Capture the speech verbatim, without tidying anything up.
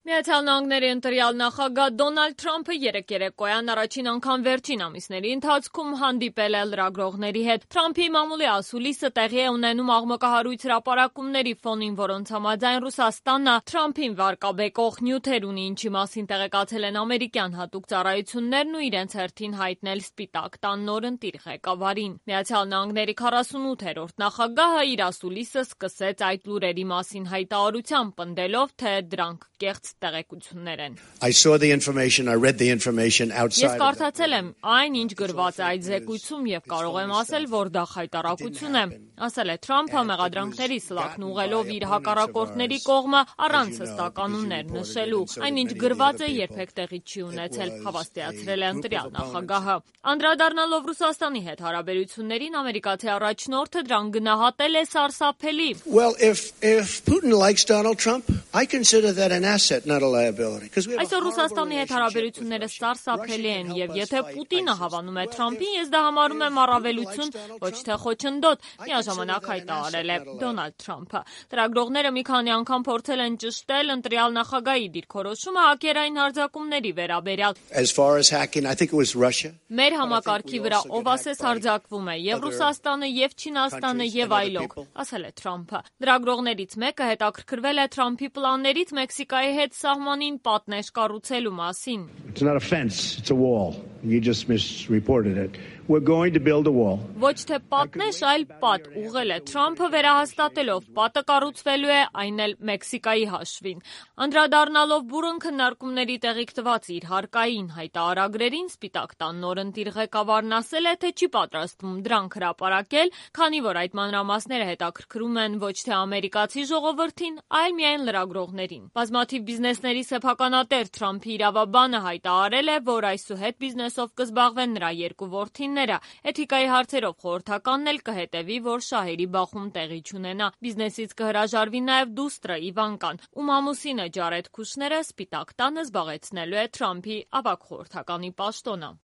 Միացյալ Նահանգների ընտրյալ նախագահ Դոնալդ Թրամփը երեկ երեկոյան առաջին անգամ վերջին ամիսների ընթացքում հանդիպել է լրագրողների հետ։ Թրամփի մամուլի ասուլիսը տեղի է ունենում աղմկահարույց հրապարակումների ֆոնին, որոնց համաձայն Ռուսաստանը Թրամփին վարկաբեկող նյութեր ունի, ինչի մասին տեղեկացել են ամերիկյան հատուկ ծառայություններն ու իրենց հերթին հայտնել Սպիտակ տան նորընտիր ղեկավարին։ Միացյալ Նահանգների քառասունութերորդ նախագահը իր ասուլիսը սկսեց այդ լուրերի մասին հայտարարությամբ, պնդելով, թե դրանք կեղծ տեղեկություններ են։ Ես կարդացել եմ այն, ինչ գրված է այդ զեկույցում և կարող եմ ասել, որ դա խայտառակություն է, ասել է Թրամփը մեղադրանքների սլաքն ուղղելով իր հակառակորդների կողմը առանց հստականուններ նշելու։ Այնինչ գրված է, երբեք տեղի չի ունեցել, հավաստիացրել է ընտրյալ նախագահը։ Անդրադառնալով Ռուսաստանի հետ հարաբերություններին, ամերիկացի առաջնորդը դրան գնահատել է սարսափելի։ Այսօր Ռուսաստանի հետ հարաբերությունները սարսափելի են, և եթե Պուտինը հավանում է Թրամփին, ես դա համարում եմ առավելություն, ոչ թե խոչընդոտ, միաժամանակ հայտարարել է Դոնալդ Թրամփը։ Լրագրողները մի քանի անգամ փորձել են ճշտել ընտրյալ նախագահի դիրքորոշումը հակերային հարձակումների վերաբերյալ։ Մեր համակարգի վրա ով ասես հարձակվում է, և Ռուսաստանը, և Չինաստանը, և այլոք, ասել է Թրամփը։ Լրագրողներից մեկը հետաքրքրվել է Թրամփի պլաններից Մեքսիկայի հետ սահմանին պատնեշ կառուցելու մասին։ Ոչ թե պատնեշ, այլ պատ, ուղղել է Թրամփը վերահաստատելով, պատը կառուցվելու է, այն էլ Մեքսիկայի հաշվին։ Անդրադառնալով բուռն քննարկումների տեղիք տված իր հարկային հայտարարագրերին, Սպիտակ տան նորընտիր ղեկավարն ասել է, թե չի պատրաստվում դրանք հրապարակել, քանի որ այդ մանրամասները հետաքրքրում են ոչ թե ամերիկացի ժողովրդին, այլ միայն լրագրողներին։ Բազմաթիվ բիզնեսների սեփականատեր Թրամփի իրավաբանը հայտարարել է, որ այսուհետ բիզնեսով կզբաղվեն նրա երկու որդիները։ Էթիկայի հարցերով խորհրդականն էլ կհետևի, որ շահերի բախում տեղի չունենա։ Բիզնեսից կհրաժարվի նաև դուստրը Իվանկան, ում ամուսինը Ջարեդ Քուշները Սպիտակ տանը զբաղեցնելու է Թրամփի ավագ խորհրդականի պաշտոնը։